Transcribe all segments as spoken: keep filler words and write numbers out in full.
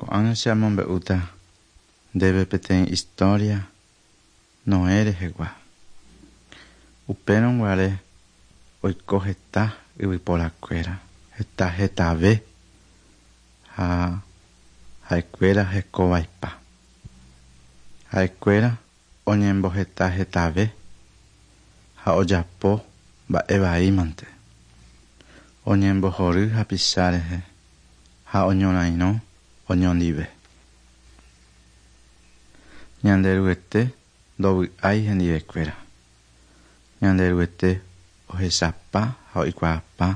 Ko'ág̃a che amombe'úta ndéve peteĩ historia Noé rehegua. Upérõ guare oiko heta yvyporakuéra, heta hetave ha ha'ekuéra hekovaipa. Ha'ekuéra oñemboheta hetave ha ojapo mba'evaímante. Oñembohory hapicha rehe ha oñorairõ oñondive. Ñanderuete ndovy'ái hendivekuéra. Ñanderuete ohechapa ha oikuaapa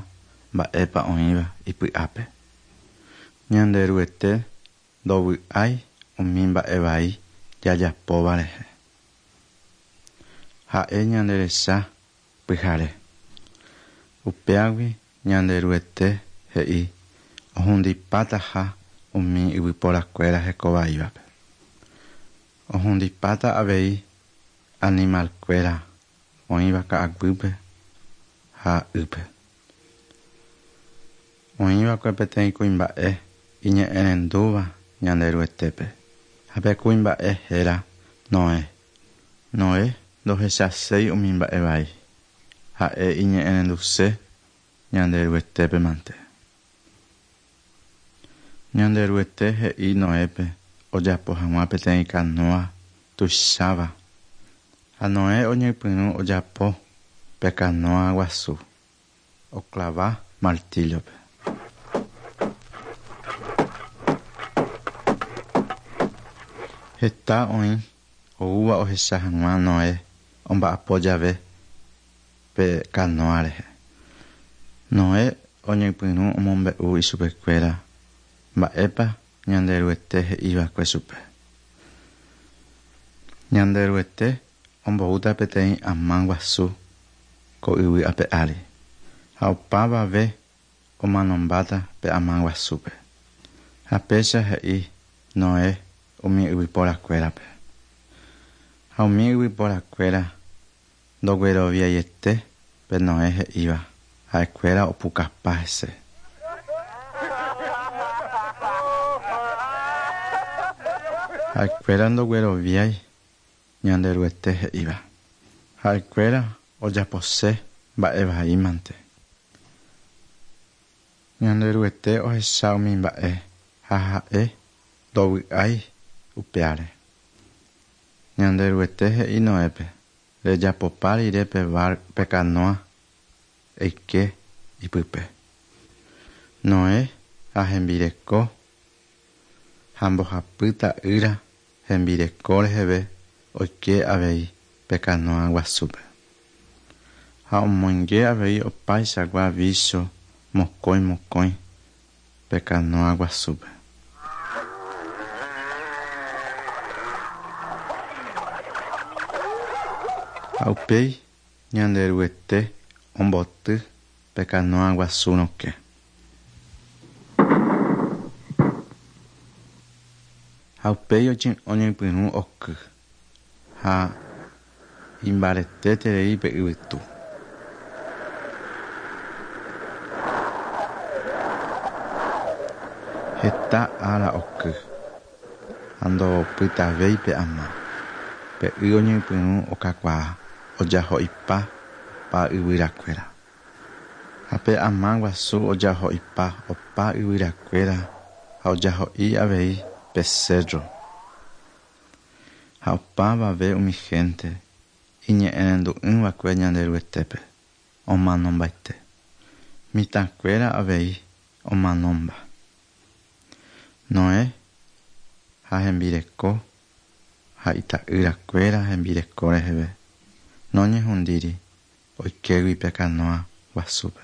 mba'épa oĩva ipy'ápe. Ñanderuete ndovy'ái umi mba'evai jajapóva rehe. Ha'e ñanderecha pyhare. Upéagui Ñanderuete he'i ohundipátaha umi yvyporakuéra hekovaívape. Ohundipáta avei animalkuéra oĩva ka'aguýpe ha ýpe. Oĩva'ekue peteĩ kuimba'e iñe'ẽrendúva Ñanderuetépe ha pe kuimba'e héra Noé. Noé ndohechaséi umi mba'evai. Ha'e iñe'ẽrenduse Ñanderuetépe mante. Ñanderuete he'i Noépe ojapo hag̃ua peteĩ canoa tuicháva ha Noé oñepyrũ ojapo pe canoa guasu oklava martillo-pe. Heta oĩ oúva ohecha hag̃ua Noé omba'apo jave pe canoa rehe. Noé oñepyrũ omombe'u ichupekuéra mba'épa Ñanderuete he'iva'ekue chupe. Ñanderuete omboúta peteĩ ama guasu ko yvy ape ári ha opavave omanombáta pe ama guasúpe. Ha péicha he'i Noé umi yvyporakuérape. Ha umi yvyporakuéra ndogueroviaiete pe Noé he'íva ha'ekuéra opukapa hese. Ha'ekuéra ndogueroviái Ñanderuete he'íva. Ha'ekuéra ojapose mba'evaímante. Ñanderuete ohecha umi mba'e ha ha'e ndovy'ái upéare. Ñanderuete he'i Noépe rejapopa rire pe bar pe canoa eike ipype. Noé ha hembireko ha mbohapy ta'ýra hembireko reheve oike avei pe canoa guasúpe. Ha omoinge avei opaichagua vícho mokõi mokõi pe canoa guasúpe. Ha upéi Ñanderuete omboty pe canoa guasu rokẽ. Ha upéi oñepyrũ oky ha imbaretéterei pe yvytu. Heta ára oky ha ndopytavéi pe ama. Pe y oñepyrũ okakuaa ojaho'ipa opa yvyrakuéra. Ha pe ama guasu ojaho'ipa opa yvyrakuéra ha ojaho'i avei pe cerro. Ha opavave umi gente iñe'ẽrendu'ỹva'ekue Ñanderuetépe omanombaite. Mitãkuéra avei omanomba. Noé ha hembireko ha ita'yrakuéra hembireko reheve noñehundíri oikégui pe canoa guasúpe.